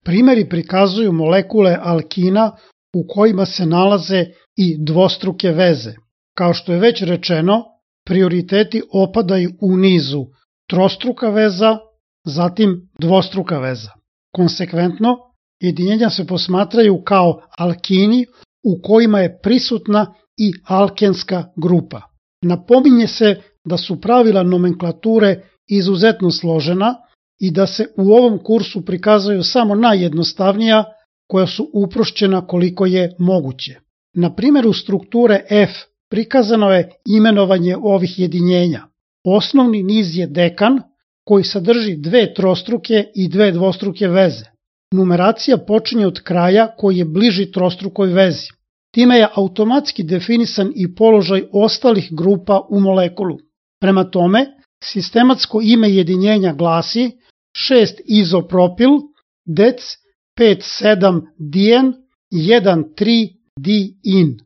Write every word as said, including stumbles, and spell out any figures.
Primeri prikazuju molekule alkina u kojima se nalaze i dvostruke veze. Kao što je već rečeno, prioriteti opadaju u nizu trostruka veza, zatim dvostruka veza. Konsekventno, jedinjenja se posmatraju kao alkini u kojima je prisutna i alkenska grupa. Napominje se da su pravila nomenklature izuzetno složena i da se u ovom kursu prikazuju samo najjednostavnija koja su uprošćena koliko je moguće. Na primjeru strukture F prikazano je imenovanje ovih jedinjenja. Osnovni niz je dekan koji sadrži dve trostruke i dve dvostruke veze. Numeracija počinje od kraja koji je bliži trostrukoj vezi. Time je automatski definisan i položaj ostalih grupa u molekulu. Prema tome, sistematsko ime jedinjenja glasi šest izopropil dec pet sedam dien jedan tri diin.